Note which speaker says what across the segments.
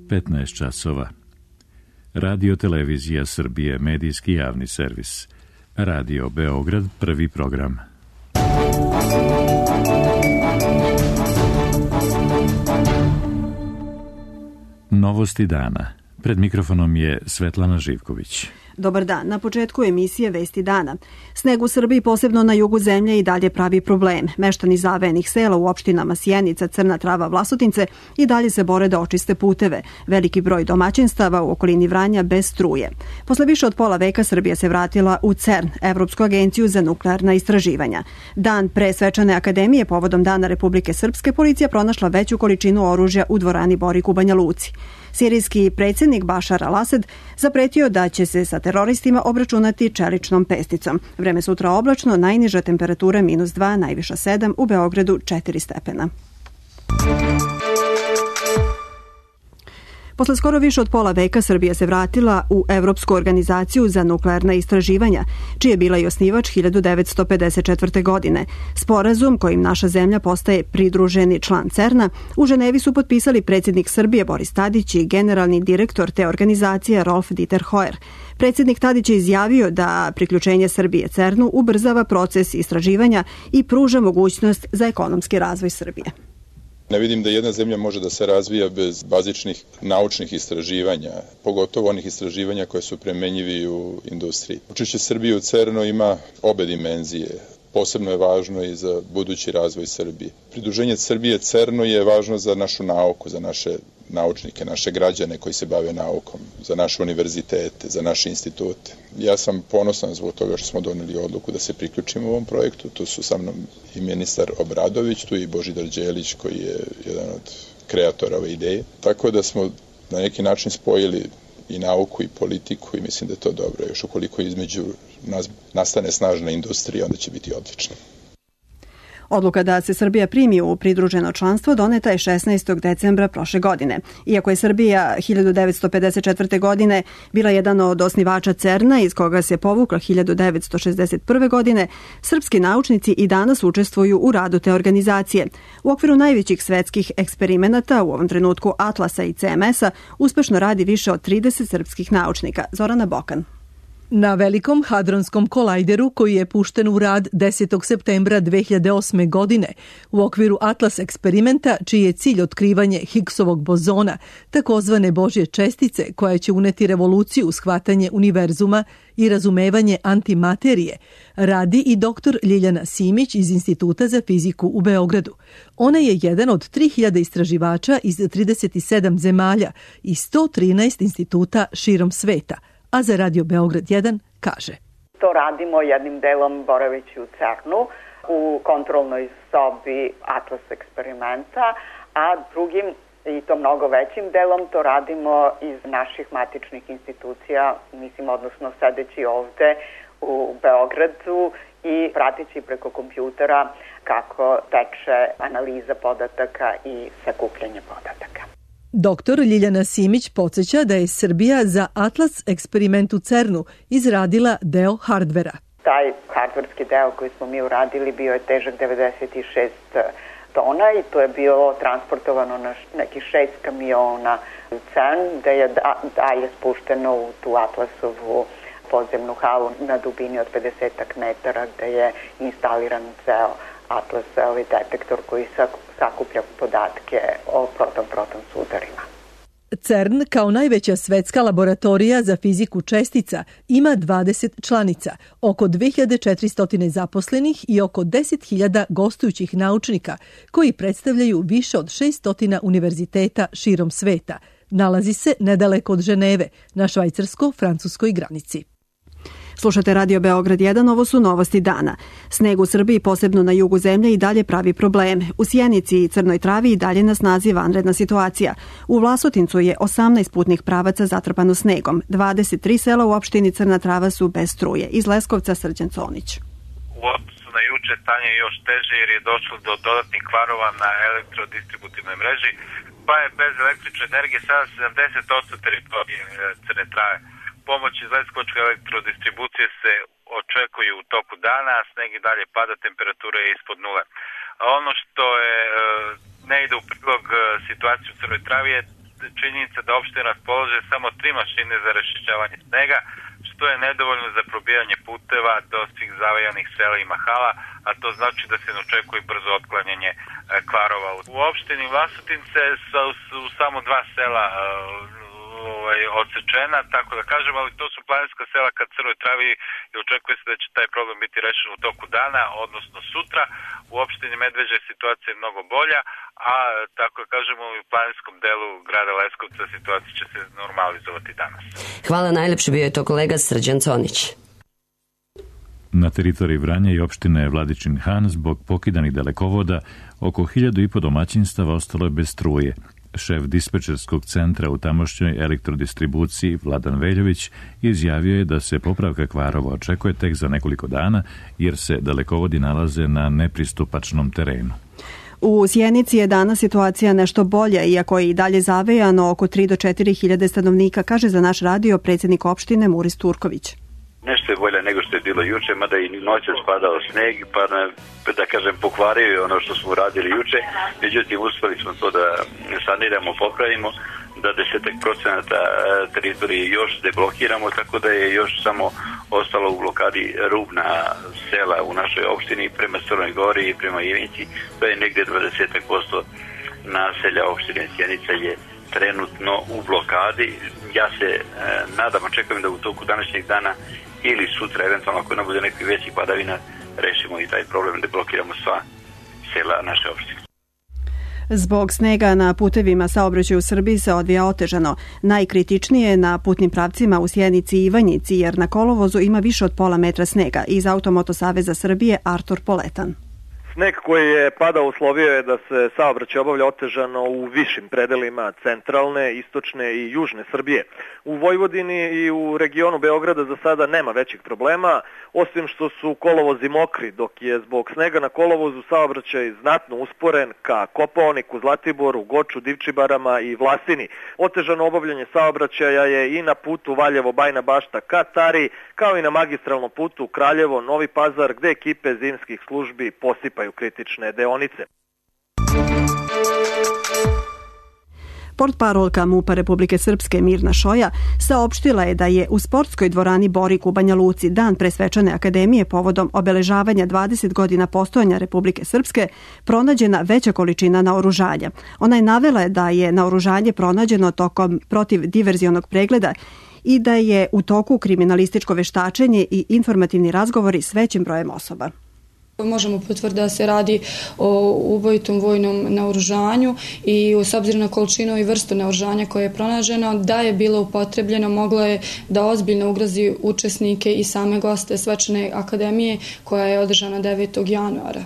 Speaker 1: 15 časova. Radio Televizija Srbije, medijski javni servis. Radio Beograd, prvi program. Novosti dana. Pred mikrofonom je Svetlana Živković.
Speaker 2: Dobar dan. Na početku emisije Vesti dana. Sneg u Srbiji, posebno na jugu zemlje, i dalje pravi problem. Meštani zavejenih sela u opštinama Sjenica, Crna Trava, Vlasotince i dalje se bore da očiste puteve. Veliki broj domaćinstava u okolini Vranja bez struje. Posle više od pola veka Srbija se vratila u CERN, Evropsku agenciju za nuklearna istraživanja. Dan pre Svečane akademije, povodom Dana Republike Srpske, policija pronašla veću količinu oružja u dvorani Borik u Banja Luci. Sirijski predsjednik Bašar al-Asad zapretio da će se sa teroristima obračunati čeličnom pesticom. Vreme sutra oblačno, najniža temperatura -2, najviša 7, u Beogradu 4 stepena. Posle skoro više od pola veka Srbija se vratila u Evropsku organizaciju za nuklearna istraživanja, čiji je bila i osnivač 1954. godine. Sporazum kojim naša zemlja postaje pridruženi član CERN-a u Ženevi su potpisali predsjednik Srbije Boris Tadić i generalni direktor te organizacije Rolf Dieter Hoyer. Predsjednik Tadić je izjavio da priključenje Srbije CERN-u ubrzava proces istraživanja i pruža mogućnost za ekonomski razvoj Srbije.
Speaker 3: Ne vidim da jedna zemlja može da se razvija bez bazičnih naučnih istraživanja, pogotovo onih istraživanja koje su primenjivi u industriji. Učešće Srbije u CERN-u ima obe dimenzije. Posebno je važno i za budući razvoj Srbije. Pridruženje Srbije CERN-u je važno za našu nauku, za naše naučnike, naše građane koji se bave naukom, za naše univerzitete, za naše institute. Ja sam ponosan zbog toga što smo doneli odluku da se priključimo ovom projektu. Tu su sa mnom i ministar Obradović, tu i Božidar Đelić koji je jedan od kreatora ove ideje. Tako da smo na neki način spojili i nauku i politiku i mislim da je to dobro. Još ukoliko između nas nastane snažna industrija, onda će biti odlično.
Speaker 2: Odluka da se Srbija primi u pridruženo članstvo doneta je 16. decembra prošle godine. Iako je Srbija 1954. godine bila jedan od osnivača CERN-a, iz koga se povukla 1961. godine, srpski naučnici i danas učestvuju u radu te organizacije. U okviru najvećih svetskih eksperimenata, u ovom trenutku Atlasa i CMS-a, uspešno radi više od 30 srpskih naučnika. Zorana Bokan.
Speaker 4: Na velikom hadronskom kolajderu koji je pušten u rad 10. septembra 2008. godine u okviru Atlas eksperimenta, čiji je cilj otkrivanje Higgsovog bozona, takozvane Božje čestice koja će uneti revoluciju u shvatanje univerzuma i razumevanje antimaterije, radi i dr. Ljiljana Simić iz Instituta za fiziku u Beogradu. Ona je jedan od 3000 istraživača iz 37 zemalja i 113 instituta širom sveta. A za Radio Beograd 1 kaže:
Speaker 5: To radimo jednim delom boraveći u CERN-u, u kontrolnoj sobi Atlas eksperimenta, a drugim i to mnogo većim delom to radimo iz naših matičnih institucija, odnosno sedeći ovde u Beogradu i pratići preko kompjutera kako teče analiza podataka i sakupljanje podataka.
Speaker 4: Doktor Ljiljana Simić podsjeća da je Srbija za Atlas eksperiment u CERN-u izradila deo hardvera.
Speaker 5: Taj hardverski deo koji smo mi uradili bio je težak 96 tona i to je bilo transportovano na nekih 6 kamiona u CERN, da je dalje spušteno u tu Atlasovu podzemnu halu na dubini od 50 metara, gde je instaliran ceo Atlas, ovaj detektor koji sakuplja podatke o proton-proton sudarima.
Speaker 4: CERN, kao najveća svetska laboratorija za fiziku čestica, ima 20 članica, oko 2400 zaposlenih i oko 10.000 gostujućih naučnika, koji predstavljaju više od 600 univerziteta širom sveta. Nalazi se nedaleko od Ženeve, na švajcarsko-francuskoj granici.
Speaker 2: Slušate Radio Beograd 1, ovo su novosti dana. Sneg u Srbiji, posebno na jugu zemlje, i dalje pravi probleme. U Sjenici i Crnoj Travi i dalje na snazi vanredna situacija. U Vlasotincu je 18 putnih pravaca zatrpano snegom. 23 sela u opštini Crna Trava su bez struje. Iz Leskovca Srđan Conić.
Speaker 6: U odnosu na juče stanje je još teže jer je došlo do dodatnih kvarova na elektrodistributivnoj mreži, pa je bez električne energije sada 70% teritorije Crne Trave. Pomoć iz Leskovačke elektrodistribucije se očekuje u toku dana, sneg i dalje pada, temperatura je ispod nule. A ono što je ne ide u prilog situaciju u Crnoj Travi je činjenica da opština raspolaže samo 3 mašine za raščišćavanje snega, što je nedovoljno za probijanje puteva do svih zavajanih sela i mahala, a to znači da se ne očekuje brzo otklanjanje kvarova. U opštini Vlasotince su samo 2 sela odsečena, tako da kažem, ali to su planinska sela ka Crnoj Travi i očekuje se da će taj problem biti rešen u toku dana, odnosno sutra. U opštini Medveđa situacija je mnogo bolja, a tako da kažemo u planinskom delu grada Leskovca situacija će se normalizovati danas.
Speaker 7: Hvala najlepše, bio je to kolega Srđan Conić.
Speaker 1: Na teritoriji Vranja i opštine Vladičin Han zbog pokidanih dalekovoda oko 1.500 domaćinstava ostalo je bez struje. Šef dispečerskog centra u tamošnjoj elektrodistribuciji Vladan Veljović izjavio je da se popravka kvarova očekuje tek za nekoliko dana jer se dalekovodi nalaze na nepristupačnom terenu.
Speaker 2: U Sjenici je danas situacija nešto bolja, iako je i dalje zavejano oko 3 do 4 hiljade stanovnika, kaže za naš radio predsjednik opštine Muris Turković.
Speaker 8: Nešto je bolje nego što je bilo juče, mada i noćas padao sneg, pa da kažem pokvario je ono što smo radili juče, međutim uspeli smo to da saniramo, popravimo, da 10% teritorije još deblokiramo, tako da je još samo ostalo u blokadi rubna sela u našoj opštini prema Crnoj Gori i prema Ivinci, to je negdje 20% naselja opštine Sjenica je trenutno u blokadi. Ja se nadam, očekujem da u toku današnjeg dana ili sutra, eventualno ako ne bude nekih većih padavina, rešimo i taj problem da blokiramo sva sela naše opštine.
Speaker 2: Zbog snega na putevima saobraćaj u Srbiji se odvija otežano. Najkritičnije je na putnim pravcima u Sjenici i Ivanjici, jer na kolovozu ima više od pola metra snega. Iz Automoto Saveza Srbije Artur Poletan.
Speaker 9: Sneg koji je padao uslovio je da se saobraćaj obavlja otežano u višim predelima centralne, istočne i južne Srbije. U Vojvodini i u regionu Beograda za sada nema većih problema, osim što su kolovozi mokri, dok je zbog snega na kolovozu saobraćaj znatno usporen ka Kopaoniku, Zlatiboru, Goču, Divčibarama i Vlasini. Otežano obavljanje saobraćaja je i na putu Valjevo-Bajna Bašta ka Tari, kao i na magistralnom putu Kraljevo-Novi Pazar, gde ekipe zimskih službi posipaju kritične deonice.
Speaker 2: Portparolka MUP-a Republike Srpske Mirna Šoja saopštila je da je u sportskoj dvorani Borik u Banja Luci dan pre svečane akademije povodom obeležavanja 20 godina postojanja Republike Srpske pronađena veća količina naoružanja. Ona je navela da je naoružanje pronađeno tokom protivdiverzionog pregleda i da je u toku kriminalističko veštačenje i informativni razgovori s većim brojem osoba.
Speaker 10: Možemo potvrditi da se radi o ubojitom vojnom naoružanju i s obzirom na količinu i vrstu naoružanja koje je pronađeno, da je bilo upotrebljeno, moglo je da ozbiljno ugrozi učesnike i same goste svečane akademije koja je održana 9. januara.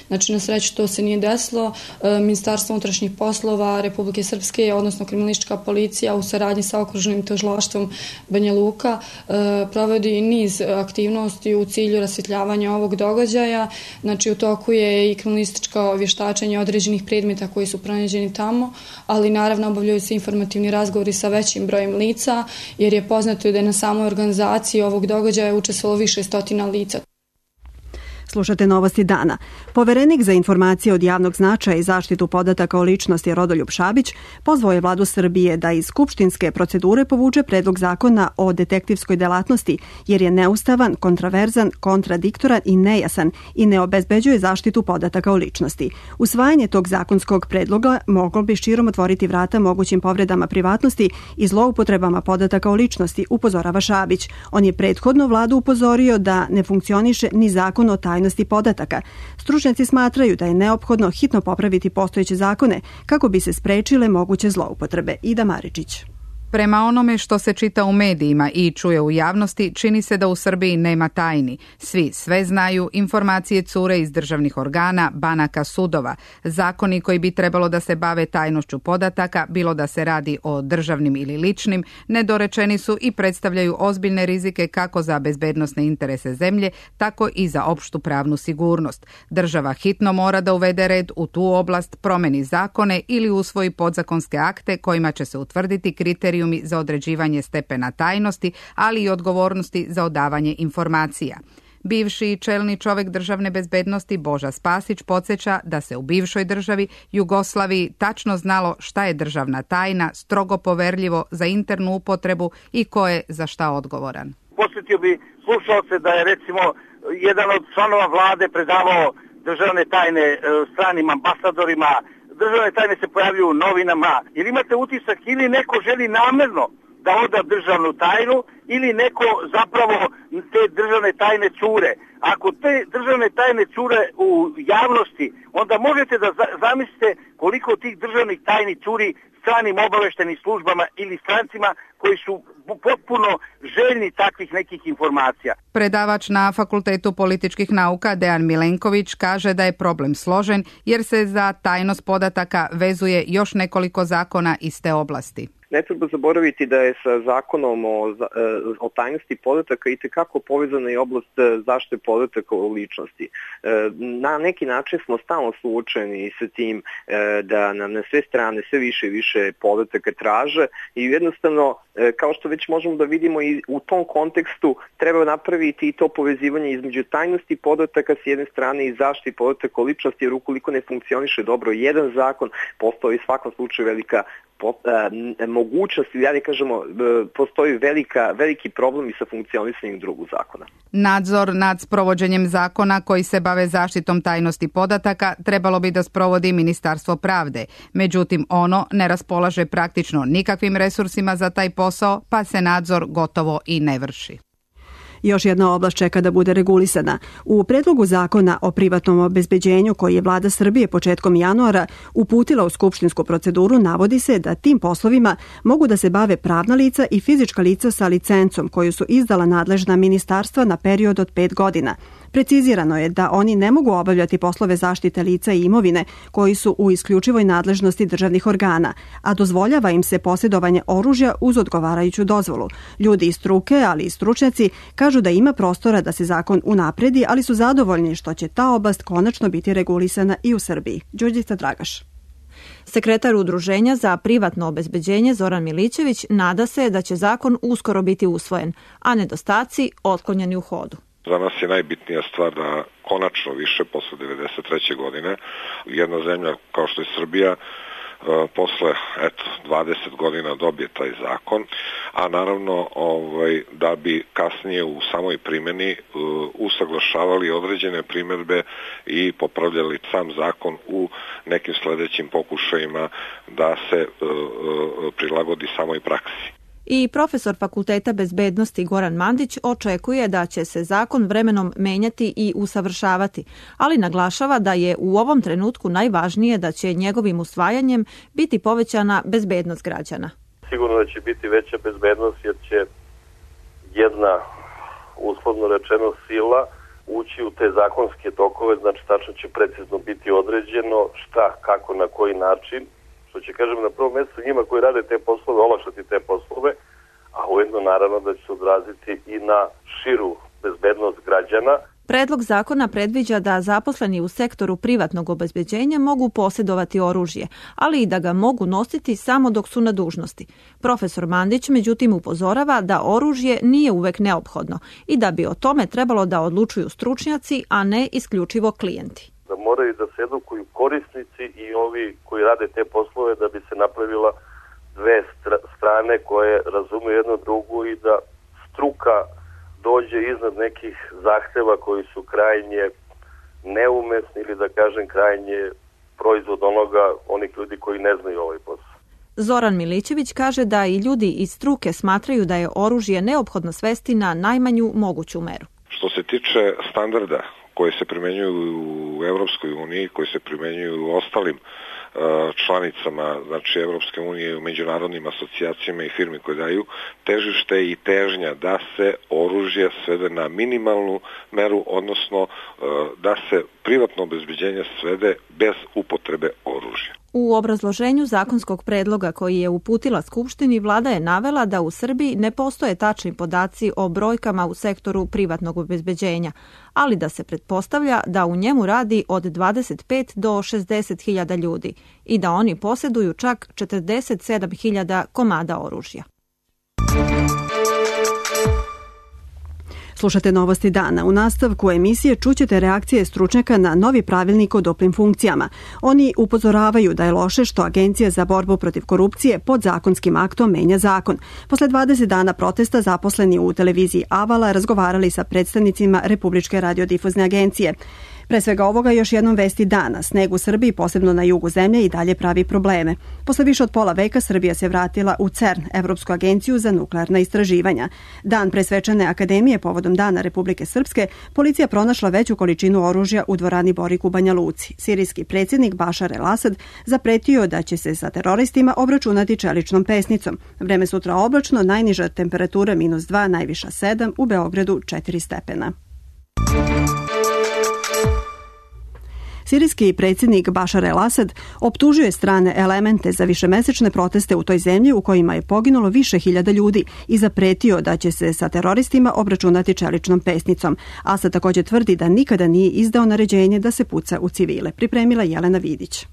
Speaker 10: Znači, na sreću to se nije desilo. Ministarstvo unutrašnjih poslova Republike Srpske, odnosno kriminalistička policija u saradnji sa okružnim tužilaštvom Banja Luka provodi niz aktivnosti u cilju rasvjetljavanja ovog događaja. Znači, u toku je i kriminalističko vještačenje određenih predmeta koji su pronađeni tamo, ali naravno obavljaju se informativni razgovori sa većim brojem lica, jer je poznato da je na samoj organizaciji ovog događaja učestvovalo više stotina lica.
Speaker 2: Slušate Novosti dana. Poverenik za informacije od javnog značaja i zaštitu podataka o ličnosti Rodoljub Šabić pozvao je vladu Srbije da iz skupštinske procedure povuče predlog zakona o detektivskoj delatnosti jer je neustavan, kontraverzan, kontradiktoran i nejasan i ne obezbeđuje zaštitu podataka o ličnosti. Usvajanje tog zakonskog predloga moglo bi širom otvoriti vrata mogućim povredama privatnosti i zloupotrebama podataka o ličnosti, upozorava Šabić. On je prethodno vladu upozorio da ne funkcioniše ni zakon o tajnosti podataka. Stručnjaci smatraju da je neophodno hitno popraviti postojeće zakone kako bi se sprečile moguće zloupotrebe. Ida Maričić.
Speaker 11: Prema onome što se čita u medijima i čuje u javnosti, čini se da u Srbiji nema tajni. Svi sve znaju, informacije cure iz državnih organa, banaka, sudova. Zakoni koji bi trebalo da se bave tajnošću podataka, bilo da se radi o državnim ili ličnim, nedorečeni su i predstavljaju ozbiljne rizike kako za bezbednosne interese zemlje, tako i za opštu pravnu sigurnost. Država hitno mora da uvede red u tu oblast, promeni zakone ili usvoji podzakonske akte kojima će se utvrditi kriteriji za određivanje stepena tajnosti, ali i odgovornosti za odavanje informacija. Bivši čelni čovjek državne bezbednosti Boža Spasić podsjeća da se u bivšoj državi Jugoslaviji tačno znalo šta je državna tajna, strogo poverljivo za internu upotrebu i ko je za šta odgovoran.
Speaker 12: Posjetio bi slušalce da je recimo jedan od članova vlade predavao državne tajne stranim ambasadorima, državne tajne se pojavljuju u novinama, jer imate utisak ili neko želi namerno da oda državnu tajnu ili neko zapravo te državne tajne cure. Ako te državne tajne cure u javnosti, onda možete da zamislite koliko tih državnih tajni curi stranim obaveštenim službama ili strancima koji su potpuno željni takvih nekih informacija.
Speaker 11: Predavač na Fakultetu političkih nauka Dejan Milenković kaže da je problem složen jer se za tajnost podataka vezuje još nekoliko zakona iz te oblasti.
Speaker 13: Ne treba zaboraviti da je sa zakonom o tajnosti podataka itekako povezana i oblast zaštite podataka o ličnosti. Na neki način smo stalno suočeni sa tim da nam na sve strane sve više i više podataka traže i jednostavno, kao što već možemo da vidimo i u tom kontekstu, treba napraviti i to povezivanje između tajnosti podataka s jedne strane i zaštite podataka o ličnosti, jer ukoliko ne funkcioniše dobro jedan zakon, postoji u svakom slučaju velika mogućnost, ili da kažemo, postoji veliki problem i sa funkcionisanjem drugog zakona.
Speaker 11: Nadzor nad sprovođenjem zakona koji se bave zaštitom tajnosti podataka trebalo bi da sprovodi Ministarstvo pravde. Međutim, ono ne raspolaže praktično nikakvim resursima za taj posao, pa se nadzor gotovo i ne vrši.
Speaker 2: Još jedna oblast čeka da bude regulisana. U predlogu zakona o privatnom obezbeđenju koji je vlada Srbije početkom januara uputila u skupštinsku proceduru navodi se da tim poslovima mogu da se bave pravna lica i fizička lica sa licencom koju su izdala nadležna ministarstva na period od 5 godina. Precizirano je da oni ne mogu obavljati poslove zaštite lica i imovine koji su u isključivoj nadležnosti državnih organa, a dozvoljava im se posjedovanje oružja uz odgovarajuću dozvolu. Ljudi iz struke, ali i stručnjaci, kažu da ima prostora da se zakon unapredi, ali su zadovoljni što će ta oblast konačno biti regulisana i u Srbiji. Đurđica Dragaš.
Speaker 14: Sekretar Udruženja za privatno obezbeđenje Zoran Milićević nada se da će zakon uskoro biti usvojen, a nedostaci otklonjeni u hodu.
Speaker 15: Za nas je najbitnija stvar da konačno više posle 1993. godine jedna zemlja kao što je Srbija posle 20 godina dobije taj zakon, a naravno da bi kasnije u samoj primjeni usaglašavali određene primjedbe i popravljali sam zakon u nekim sledećim pokušajima da se prilagodi samoj praksi.
Speaker 14: I profesor Fakulteta bezbednosti Goran Mandić očekuje da će se zakon vremenom menjati i usavršavati, ali naglašava da je u ovom trenutku najvažnije da će njegovim usvajanjem biti povećana bezbednost građana.
Speaker 16: Sigurno da će biti veća bezbednost jer će jedna, uslovno rečeno, sila ući u te zakonske tokove, znači tačno će precizno biti određeno šta, kako, na koji način, što će, kažem, na prvom mjestu njima koji rade te poslove, olakšati te poslove, a ujedno naravno da će se odraziti i na širu bezbednost građana.
Speaker 14: Predlog zakona predviđa da zaposleni u sektoru privatnog obezbeđenja mogu posjedovati oružje, ali i da ga mogu nositi samo dok su na dužnosti. Profesor Mandić međutim upozorava da oružje nije uvek neophodno i da bi o tome trebalo da odlučuju stručnjaci, a ne isključivo klijenti.
Speaker 16: Da moraju da se edukuju korisnici i ovi koji rade te poslove da bi se napravila dve strane koje razumiju jedno drugu i da struka dođe iznad nekih zahteva koji su krajnje neumesni ili da kažem krajnje proizvod onih ljudi koji ne znaju ovaj posao.
Speaker 14: Zoran Milićević kaže da i ljudi iz struke smatraju da je oružje neophodno svesti na najmanju moguću meru.
Speaker 15: Što se tiče standarda koji se primenjuju u Evropskoj uniji, koji se primenjuju u ostalim članicama, znači Evropske unije, u međunarodnim asocijacijama i firmi koje daju, težište i težnja da se oružje svede na minimalnu meru, odnosno da se privatno obezbeđenje svede bez upotrebe oružja.
Speaker 14: U obrazloženju zakonskog predloga koji je uputila Skupštini, vlada je navela da u Srbiji ne postoje tačni podaci o brojkama u sektoru privatnog obezbeđenja, ali da se pretpostavlja da u njemu radi od 25 do 60 hiljada ljudi i da oni posjeduju čak 47 hiljada komada oružja.
Speaker 2: Slušate Novosti dana. U nastavku emisije čućete reakcije stručnjaka na novi pravilnik o duplim funkcijama. Oni upozoravaju da je loše što Agencija za borbu protiv korupcije podzakonskim aktom menja zakon. Posle 20 dana protesta zaposleni u televiziji Avala razgovarali sa predstavnicima Republičke radiodifuzne agencije. Pre svega ovoga još jednom vesti dana. Sneg u Srbiji, posebno na jugu zemlje, i dalje pravi probleme. Posle više od pola veka Srbija se vratila u CERN, Evropsku agenciju za nuklearna istraživanja. Dan pre svečane akademije povodom Dana Republike Srpske, policija pronašla veću količinu oružja u dvorani Borik u Banja Luci. Sirijski predsjednik Bašar el-Asad zapretio da će se sa teroristima obračunati čeličnom pesnicom. Vreme sutra oblačno, najniža temperatura -2, najviša 7, u Beogradu 4 stepena. Sirijski predsjednik Bašar el-Asad optužuje strane elemente za višemesečne proteste u toj zemlji u kojima je poginulo više hiljada ljudi i zapretio da će se sa teroristima obračunati čeličnom pesnicom. Asad također tvrdi da nikada nije izdao naređenje da se puca u civile. Pripremila Jelena Vidić.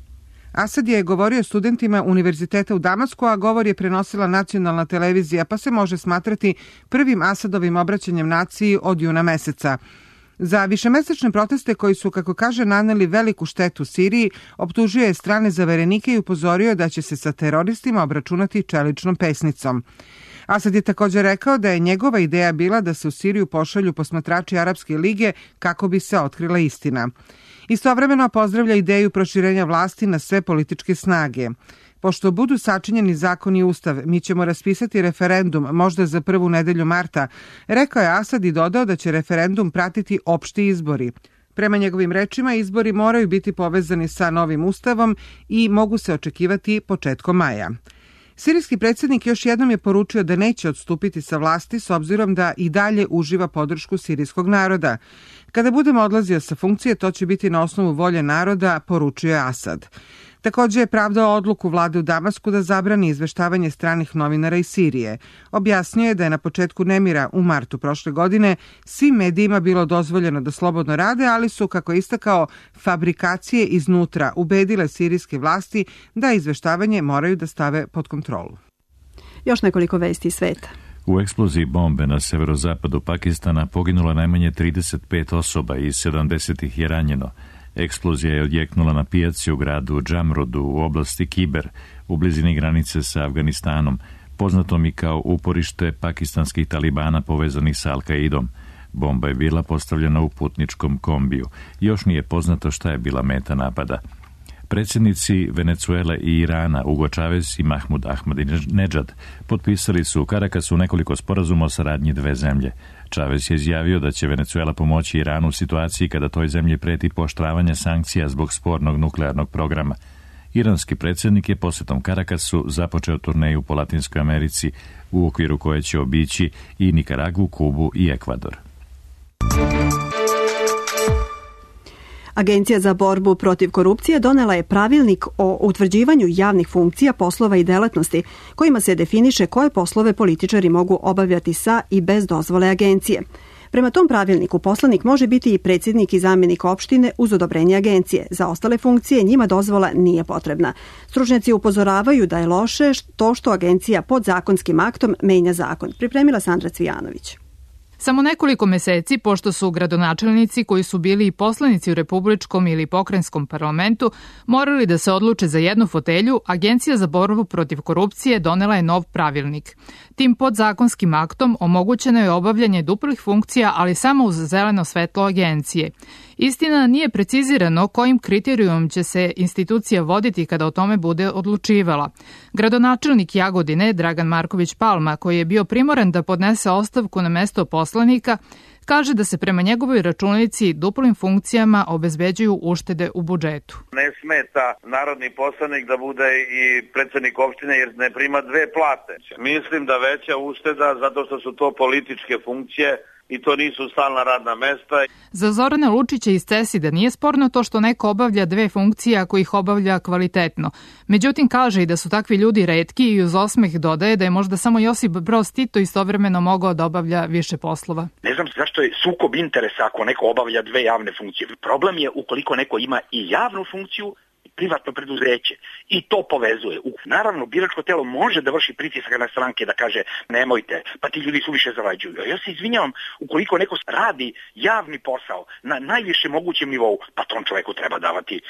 Speaker 17: Asad je govorio studentima univerziteta u Damasku, a govor je prenosila nacionalna televizija, pa se može smatrati prvim Asadovim obraćanjem naciji od juna meseca. Za višemesečne proteste koji su, kako kaže, naneli veliku štetu Siriji, optužio je strane zaverenike i upozorio da će se sa teroristima obračunati čeličnom pesnicom. Asad je također rekao da je njegova ideja bila da se u Siriju pošalju posmatrači Arapske lige kako bi se otkrila istina. Istovremeno pozdravlja ideju proširenja vlasti na sve političke snage. Pošto budu sačinjeni zakon i ustav, mi ćemo raspisati referendum, možda za prvu nedelju marta, rekao je Asad i dodao da će referendum pratiti opšti izbori. Prema njegovim rečima, izbori moraju biti povezani sa novim ustavom i mogu se očekivati početkom maja. Sirijski predsjednik još jednom je poručio da neće odstupiti sa vlasti s obzirom da i dalje uživa podršku sirijskog naroda. Kada budem odlazio sa funkcije, to će biti na osnovu volje naroda, poručio je Asad. Također je pravdao odluku vlade u Damasku da zabrani izveštavanje stranih novinara iz Sirije. Objasnio je da je na početku nemira u martu prošle godine svim medijima bilo dozvoljeno da slobodno rade, ali su, kako je istakao, fabrikacije iznutra ubedile sirijske vlasti da izveštavanje moraju da stave pod kontrolu.
Speaker 2: Još nekoliko vesti iz sveta.
Speaker 1: U eksploziji bombe na severozapadu Pakistana poginulo najmanje 35 osoba i 70 ih je ranjeno. Eksplozija je odjeknula na pijaci u gradu Džamrodu u oblasti Kiber, u blizini granice sa Afganistanom, poznatom i kao uporište pakistanskih talibana povezanih sa Al-Qaidom. Bomba je bila postavljena u putničkom kombiju. Još nije poznato šta je bila meta Predsjednici Venezuele i Irana, Hugo Chavez i Mahmud Ahmadinejad, potpisali su u Karakasu nekoliko sporazuma o saradnji dve zemlje. Chavez je izjavio da će Venezuela pomoći Iranu u situaciji kada toj zemlji preti pooštravanje sankcija zbog spornog nuklearnog programa. Iranski predsjednik je posjetom Karakasu započeo turneju po Latinskoj Americi, u okviru koje će obići i Nikaragu, Kubu i Ekvador.
Speaker 2: Agencija za borbu protiv korupcije donela je pravilnik o utvrđivanju javnih funkcija, poslova i delatnosti, kojima se definiše koje poslove političari mogu obavljati sa i bez dozvole agencije. Prema tom pravilniku poslanik može biti i predsjednik i zamjenik opštine uz odobrenje agencije. Za ostale funkcije njima dozvola nije potrebna. Stručnjaci upozoravaju da je loše to što agencija pod zakonskim aktom menja zakon. Pripremila Sandra Cvijanović.
Speaker 18: Samo nekoliko meseci, pošto su gradonačelnici koji su bili i poslanici u republičkom ili pokrajinskom parlamentu morali da se odluče za jednu fotelju, Agencija za borbu protiv korupcije donela je nov pravilnik. Tim podzakonskim aktom omogućeno je obavljanje duplih funkcija, ali samo uz zeleno svetlo agencije. Istina, nije precizirano kojim kriterijumom će se institucija voditi kada o tome bude odlučivala. Gradonačelnik Jagodine, Dragan Marković Palma, koji je bio primoran da podnese ostavku na mesto poslanika, kaže da se prema njegovoj računici duplim funkcijama obezbeđuju uštede u budžetu.
Speaker 12: Ne smeta narodni poslanik da bude i predsjednik opštine jer ne prima dve plate. Mislim da veća ušteda zato što su to političke funkcije i to nisu stalna radna mesta.
Speaker 18: Za Zorana Lučića iz CESID-a nije sporno to što neko obavlja dve funkcije ako ih obavlja kvalitetno. Međutim, kaže i da su takvi ljudi retki i uz osmeh dodaje da je možda samo Josip Broz Tito istovremeno mogao da obavlja više poslova.
Speaker 19: Ne znam zašto je sukob interesa ako neko obavlja dve javne funkcije. Problem je ukoliko neko ima i javnu funkciju privatno preduzeće i to povezuje. Naravno, biračko telo može da vrši pritisak na stranke da kaže nemojte, pa ti ljudi suviše zarađuju. Ja se izvinjavam, ukoliko neko radi javni posao na najvišem mogućem nivou, pa tom čoveku treba davati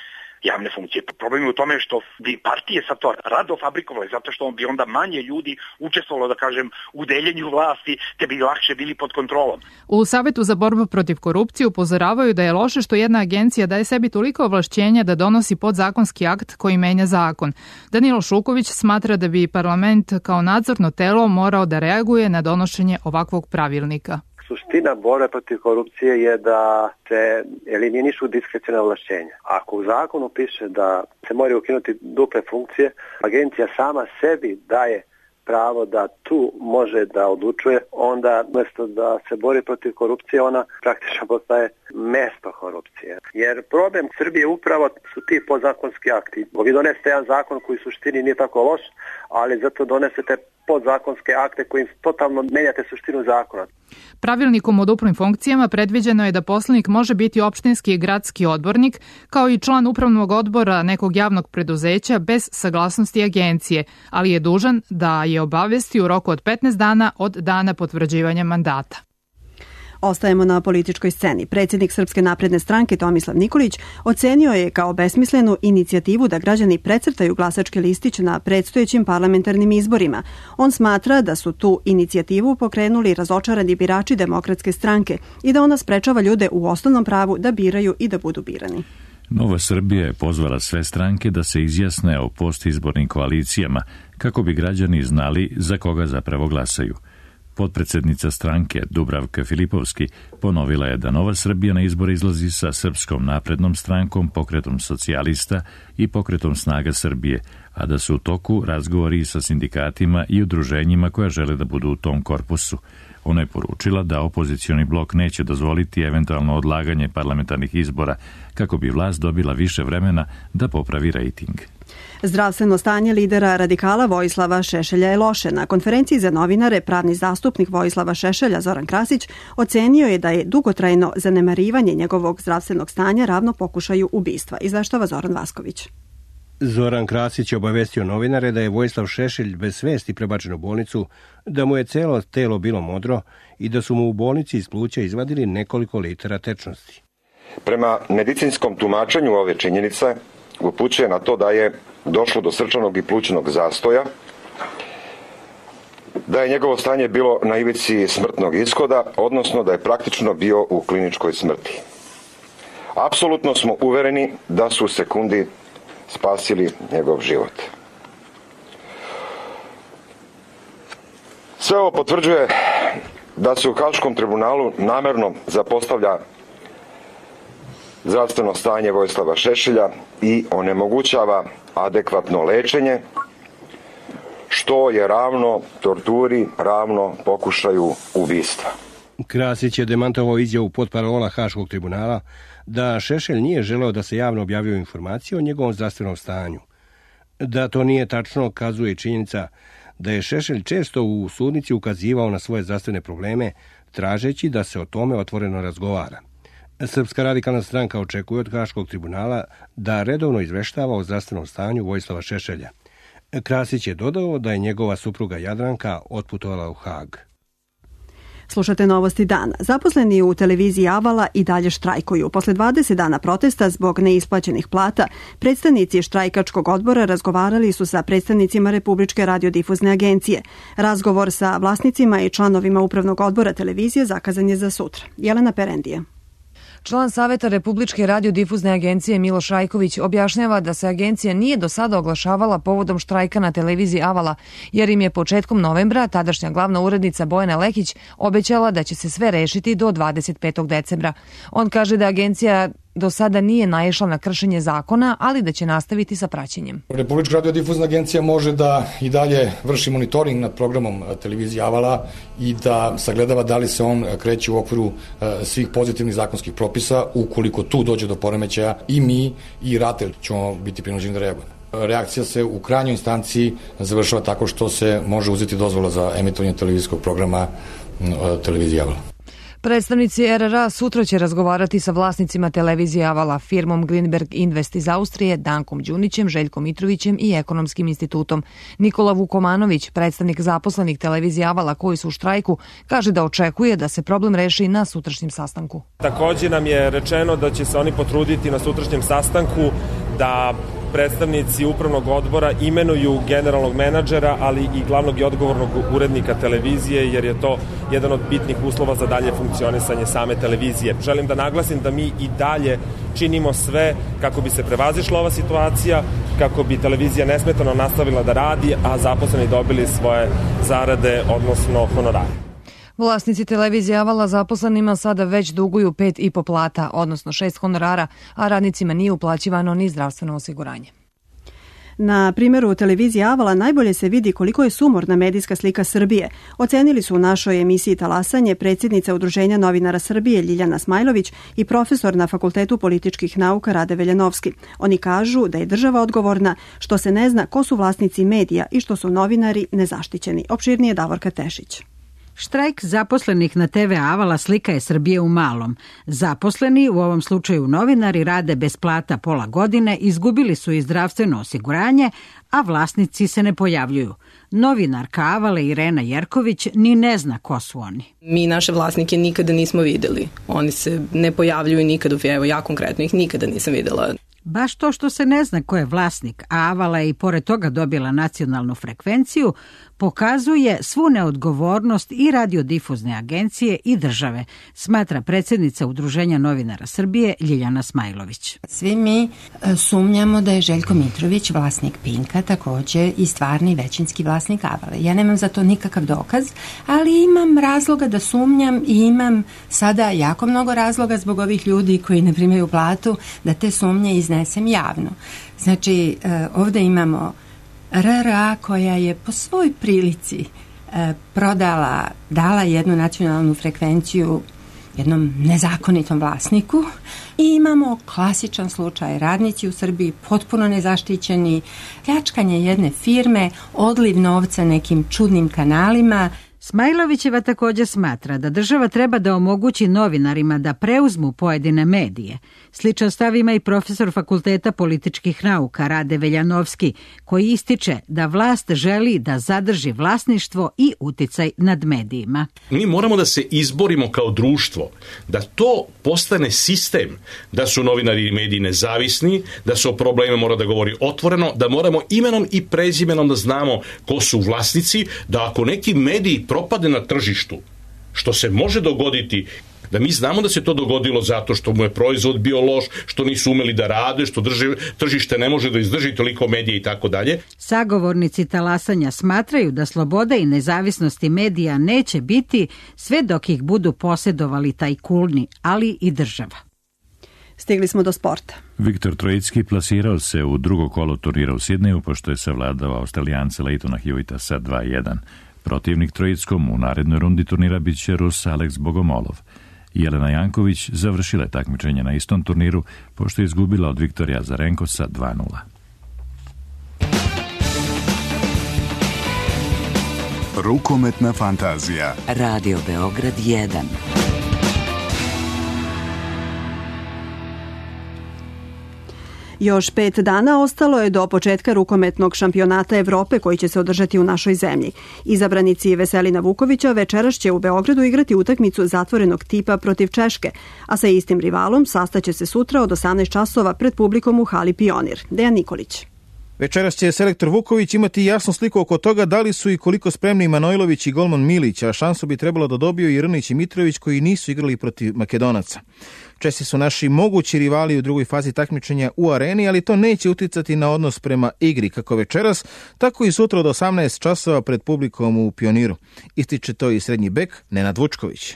Speaker 19: javne funkcije. Problem je u tome što bi partije sad to rado fabrikovali, zato što bi onda manje ljudi učestvovalo, da kažem, u deljenju vlasti, te bi lakše bili pod kontrolom.
Speaker 18: U Savetu za borbu protiv korupcije upozoravaju da je loše što jedna agencija daje sebi toliko ovlašćenja da donosi podzakonski akt koji menja zakon. Danilo Šuković smatra da bi parlament kao nadzorno telo morao da reaguje na donošenje ovakvog pravilnika.
Speaker 20: Suština borbe protiv korupcije je da se eliminišu diskreciona ovlašćenja. Ako u zakonu piše da se moraju ukinuti duple funkcije, agencija sama sebi daje pravo da tu može da odlučuje, onda umjesto da se bori protiv korupcije, ona praktično postaje mesto korupcije. Jer problem Srbije upravo su ti podzakonski akti. Vi donesete jedan zakon koji u suštini nije tako loš, ali zato donesete podzakonske akte kojim totalno menjate suštinu zakona.
Speaker 18: Pravilnikom o duplim funkcijama predviđeno je da poslanik može biti opštinski i gradski odbornik, kao i član upravnog odbora nekog javnog preduzeća bez saglasnosti agencije, ali je dužan da je obavesti u roku od 15 dana od dana potvrđivanja mandata.
Speaker 2: Ostajemo na političkoj sceni. Predsjednik Srpske napredne stranke Tomislav Nikolić ocenio je kao besmislenu inicijativu da građani precrtaju glasački listić na predstojećim parlamentarnim izborima. On smatra da su tu inicijativu pokrenuli razočarani birači Demokratske stranke i da ona sprečava ljude u osnovnom pravu da biraju i da budu birani.
Speaker 1: Nova Srbija je pozvala sve stranke da se izjasne o postizbornim koalicijama kako bi građani znali za koga zapravo glasaju. Potpredsednica stranke Dubravka Filipovski ponovila je da Nova Srbija na izbore izlazi sa Srpskom naprednom strankom, Pokretom socijalista i Pokretom snaga Srbije, a da su u toku razgovori sa sindikatima i udruženjima koja žele da budu u tom korpusu. Ona je poručila da opozicioni blok neće dozvoliti eventualno odlaganje parlamentarnih izbora kako bi vlast dobila više vremena da popravi rejting.
Speaker 2: Zdravstveno stanje lidera radikala Vojislava Šešelja je loše. Na konferenciji za novinare pravni zastupnik Vojislava Šešelja Zoran Krasić ocenio je da je dugotrajno zanemarivanje njegovog zdravstvenog stanja ravno pokušaju ubistva. Izveštava Zoran Vasković.
Speaker 21: Zoran Krasić je obavestio novinare da je Vojislav Šešelj bez svesti prebačen u bolnicu, da mu je celo telo bilo modro i da su mu u bolnici iz pluća izvadili nekoliko litara tečnosti.
Speaker 22: Prema medicinskom tumačenju ove činjenice upućuje na to da je došlo do srčanog i plućnog zastoja, da je njegovo stanje bilo na ivici smrtnog ishoda, odnosno da je praktično bio u kliničkoj smrti. Apsolutno smo uvereni da su sekundi spasili njegov život. Sve ovo potvrđuje da se u Haškom tribunalu namerno zapostavlja zdravstveno stanje Vojislava Šešelja i onemogućava adekvatno lečenje, što je ravno torturi, ravno pokušaju ubistva.
Speaker 21: Krasić je demantovao izjavu potparola Haškog tribunala da Šešelj nije želeo da se javno objavljuju informacije o njegovom zdravstvenom stanju. Da to nije tačno kazuje činjenica da je Šešelj često u sudnici ukazivao na svoje zdravstvene probleme, tražeći da se o tome otvoreno razgovara. Srpska radikalna stranka očekuje od Haškog tribunala da redovno izveštava o zdravstvenom stanju Vojislava Šešelja. Krasić je dodao da je njegova supruga Jadranka otputovala u Hag.
Speaker 2: Slušate novosti dana. Zaposleni u televiziji Avala i dalje štrajkuju. Posle 20 dana protesta zbog neisplaćenih plata, predstavnici štrajkačkog odbora razgovarali su sa predstavnicima Republičke radiodifuzne agencije. Razgovor sa vlasnicima i članovima upravnog odbora televizije zakazan je za sutra. Jelena Perendije.
Speaker 23: Član Saveta Republičke radiodifuzne agencije Miloš Rajković objašnjava da se agencija nije do sada oglašavala povodom štrajka na televiziji Avala, jer im je početkom novembra tadašnja glavna urednica Bojana Lekić obećala da će se sve rešiti do 25. decembra. On kaže da agencija do sada nije naišla na kršenje zakona, ali da će nastaviti sa praćenjem.
Speaker 24: Republička radiodifuzna agencija može da i dalje vrši monitoring nad programom televizije Avala i da sagledava da li se on kreće u okviru svih pozitivnih zakonskih propisa. Ukoliko tu dođe do poremećaja, i mi i RATEL ćemo biti prinuđeni da reagujemo. Reakcija se u krajnjoj instanciji završava tako što se može uzeti dozvola za emitovanje televizijskog programa televizije Avala.
Speaker 23: Predstavnici RRA sutra će razgovarati sa vlasnicima televizije Avala, firmom Greenberg Invest iz Austrije, Dankom Đunićem, Željkom Mitrovićem i Ekonomskim institutom. Nikola Vukomanović, predstavnik zaposlenih televizije Avala koji su u štrajku, kaže da očekuje da se problem reši na sutrašnjem sastanku.
Speaker 3: Također nam je rečeno da će se oni potruditi na sutrašnjem sastanku da predstavnici upravnog odbora imenuju generalnog menadžera, ali i glavnog i odgovornog urednika televizije, jer je to jedan od bitnih uslova za dalje funkcionisanje same televizije. Želim da naglasim da mi i dalje činimo sve kako bi se prevazišla ova situacija, kako bi televizija nesmetano nastavila da radi, a zaposleni dobili svoje zarade, odnosno honorare.
Speaker 23: Vlasnici televizije Avala zaposlenima sada već duguju 5,5 plata, odnosno 6 honorara, a radnicima nije uplaćivano ni zdravstveno osiguranje.
Speaker 2: Na primjeru televizije Avala najbolje se vidi koliko je sumorna medijska slika Srbije. Ocenili su u našoj emisiji Talasanje predsjednica Udruženja novinara Srbije Ljiljana Smajlović i profesor na Fakultetu političkih nauka Rade Veljanovski. Oni kažu da je država odgovorna što se ne zna ko su vlasnici medija i što su novinari nezaštićeni. Opširnije Davorka Tešić.
Speaker 4: Štrajk zaposlenih na TV Avala slika je Srbije u malom. Zaposleni, u ovom slučaju novinari, rade bez plata pola godine, izgubili su i zdravstveno osiguranje, a vlasnici se ne pojavljuju. Novinarka Avale Irena Jerković ni ne zna ko su oni.
Speaker 5: Mi naše vlasnike nikada nismo videli. Oni se ne pojavljuju nikada, evo ja konkretno ih nikada nisam videla.
Speaker 4: Baš to što se ne zna ko je vlasnik, a Avala je i pored toga dobila nacionalnu frekvenciju, pokazuje svu neodgovornost i radiodifuzne agencije i države, smatra predsjednica Udruženja novinara Srbije Ljiljana Smajlović.
Speaker 6: Svi mi sumnjamo da je Željko Mitrović vlasnik Pinka, također i stvarni većinski vlasnik Avale. Ja nemam za to nikakav dokaz, ali imam razloga da sumnjam i imam sada jako mnogo razloga zbog ovih ljudi koji ne primaju platu da te sumnje iznesem javno. Znači, ovdje imamo RRA koja je po svoj prilici dala jednu nacionalnu frekvenciju jednom nezakonitom vlasniku i imamo klasičan slučaj, radnici u Srbiji potpuno nezaštićeni, pljačkanje jedne firme, odliv novca nekim čudnim kanalima.
Speaker 4: Smajlovićeva također smatra da država treba da omogući novinarima da preuzmu pojedine medije. Sličan stav ima i profesor Fakulteta političkih nauka Rade Veljanovski, koji ističe da vlast želi da zadrži vlasništvo i uticaj nad medijima.
Speaker 25: Mi moramo da se izborimo kao društvo, da to postane sistem, da su novinari i mediji nezavisni, da se o probleme mora da govori otvoreno, da moramo imenom i prezimenom da znamo ko su vlasnici, da ako neki mediji propade na tržištu, što se može dogoditi, da mi znamo da se to dogodilo zato što mu je proizvod bio loš, što nisu umeli da rade, što tržište ne može da izdrži toliko medija i tako dalje.
Speaker 4: Sagovornici talasanja smatraju da sloboda i nezavisnosti medija neće biti sve dok ih budu posjedovali tajkuni, ali i država.
Speaker 2: Stigli smo do sporta.
Speaker 1: Viktor Trojicki plasirao se u drugo kolo turnira u Sidneju, pošto je savladao Australijance Leightona Hewita sa 2:1. Protivnik Trojickom u narednoj rundi turnira bit će Rus Alex Bogomolov. Jelena Janković završila je takmičenje na istom turniru, pošto je izgubila od Viktorija Azarenko sa 2:0.
Speaker 26: Rukometna fantazija.
Speaker 27: Radio Beograd 1.
Speaker 2: Još 5 dana ostalo je do početka rukometnog šampionata Evrope koji će se održati u našoj zemlji. Izabranici Veselina Vukovića večeras će u Beogradu igrati utakmicu zatvorenog tipa protiv Češke, a sa istim rivalom sastaće se sutra od 18 časova pred publikom u hali Pionir. Dejan Nikolić.
Speaker 28: Večeras će selektor Vuković imati jasnu sliku oko toga da li su i koliko spremni Manojlović i golman Milić, a šansu bi trebalo da dobiju i Rnić i Mitrović koji nisu igrali protiv Makedonaca. Česi su naši mogući rivali u drugoj fazi takmičenja u areni, ali to neće uticati na odnos prema igri kako večeras, tako i sutra od 18 časova pred publikom u Pioniru. Ističe to i srednji bek Nenad Vučković.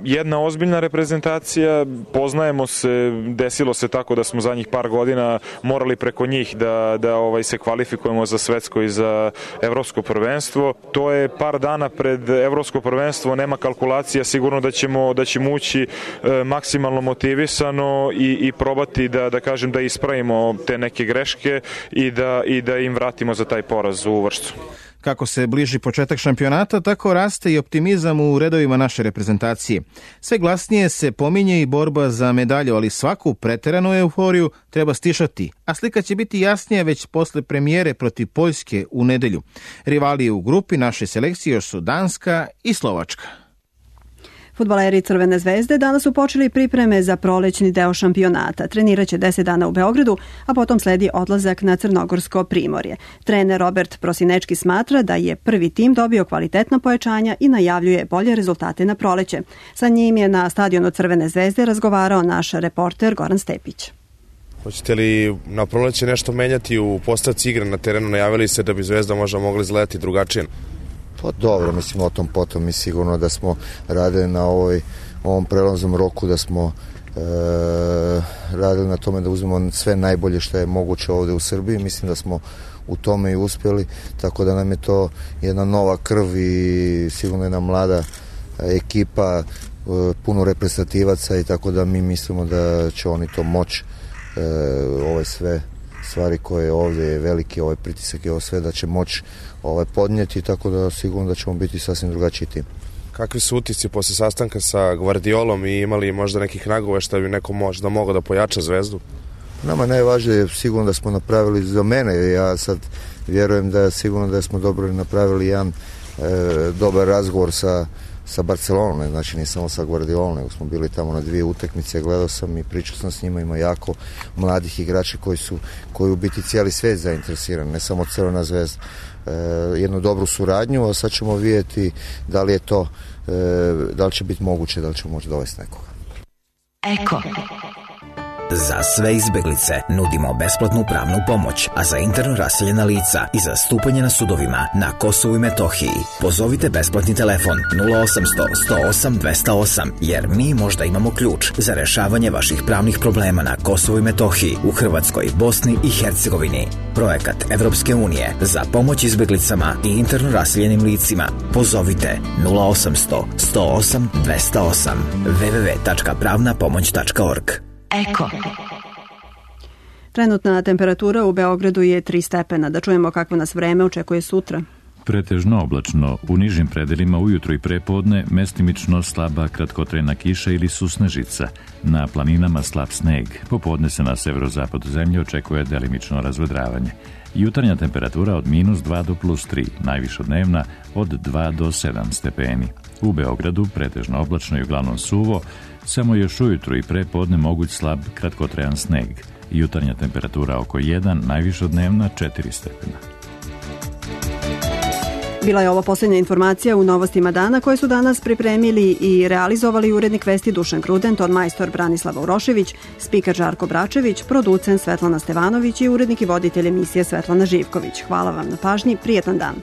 Speaker 29: Jedna ozbiljna reprezentacija, poznajemo se, desilo se tako da smo zadnjih par godina morali preko njih da se kvalifikujemo za svetsko i za evropsko prvenstvo. To je par dana pred evropsko prvenstvo, nema kalkulacija, sigurno da ćemo ući maksimalno motivisano i probati da ispravimo te neke greške i da im vratimo za taj poraz u Vršcu.
Speaker 28: Kako se bliži početak šampionata, tako raste i optimizam u redovima naše reprezentacije. Sve glasnije se pominje i borba za medalju, ali svaku preteranu euforiju treba stišati, a slika će biti jasnija već posle premijere protiv Poljske u nedelju. Rivali u grupi naše selekcije još su Danska i Slovačka.
Speaker 2: Fudbaleri Crvene zvezde danas su počeli pripreme za prolećni deo šampionata. Treniraće 10 dana u Beogradu, a potom sledi odlazak na Crnogorsko primorje. Trener Robert Prosinečki smatra da je prvi tim dobio kvalitetna pojačanja i najavljuje bolje rezultate na proleće. Sa njim je na stadionu Crvene zvezde razgovarao naš reporter Goran Stepić.
Speaker 7: Hoćete li na proleće nešto menjati u postavci igre na terenu? Najavili se da bi Zvezda možda mogla izgledati drugačije.
Speaker 8: Pa dobro, mislim o tom potom, mi sigurno da smo radili na ovom prelaznom roku, da smo radili na tome da uzmemo sve najbolje što je moguće ovde u Srbiji. Mislim da smo u tome i uspjeli, tako da nam je to jedna nova krv i sigurno jedna mlada ekipa, puno reprezentativaca i tako da mi mislimo da će oni to moći, ove sve stvari koje ovdje je veliki, ovaj pritisak i ovo sve da će moći podnijeti, tako da sigurno da ćemo biti sasvim drugačiji tim.
Speaker 7: Kakvi su utisci posle sastanka sa Gvardiolom i imali možda nekih nagova što bi neko možda mogao da pojača Zvezdu?
Speaker 8: Nama najvažnije je sigurno da smo napravili za mene, ja sad vjerujem da sigurno da smo dobro napravili jedan dobar razgovor sa Barcelonom, znači ne samo sa Gvardiolom, nego smo bili tamo na 2 utakmice, gledao sam i pričao sam s njima, ima jako mladih igrača koji u biti cijeli svijet zainteresiran, ne samo Crvena zvezda. Jednu dobru suradnju, a sad ćemo vidjeti da li je to, da li će biti moguće, da li ćemo moći dovesti nekoga.
Speaker 9: Eko. Za sve izbeglice nudimo besplatnu pravnu pomoć, a za interno raseljena lica i zastupanje na sudovima na Kosovu i Metohiji pozovite besplatni telefon 0800 108 208, jer mi možda imamo ključ za rešavanje vaših pravnih problema na Kosovu i Metohiji, u Hrvatskoj, Bosni i Hercegovini. Projekat Evropske unije za pomoć izbeglicama i interno raseljenim licima. Pozovite 0800 108 208 www.pravnapomoć.org. Eko.
Speaker 2: Trenutna temperatura u Beogradu je 3 stepena. Da čujemo kakvo nas vreme očekuje sutra.
Speaker 1: Pretežno oblačno, u nižim predelima ujutro i prepodne mestimično slaba kratkotrajna kiša ili susnežica, na planinama slab sneg, popodne se na severozapadu zemlje očekuje delimično razvedravanje. Jutarnja temperatura od -2 do +3, najvišodnevna od 2 do 7 stepeni. U Beogradu pretežno oblačno i uglavnom suvo, samo još ujutro i prepodne moguć slab kratkotrajan sneg. Jutarnja temperatura oko 1, najvišodnevna 4 stepena.
Speaker 2: Bila je ovo posljednja informacija u novostima dana koje su danas pripremili i realizovali urednik vesti Dušan Kruden, ton majstor Branislava Urošević, spiker Žarko Bračević, producent Svetlana Stevanović i urednik i voditelj emisije Svetlana Živković. Hvala vam na pažnji, prijetan dan.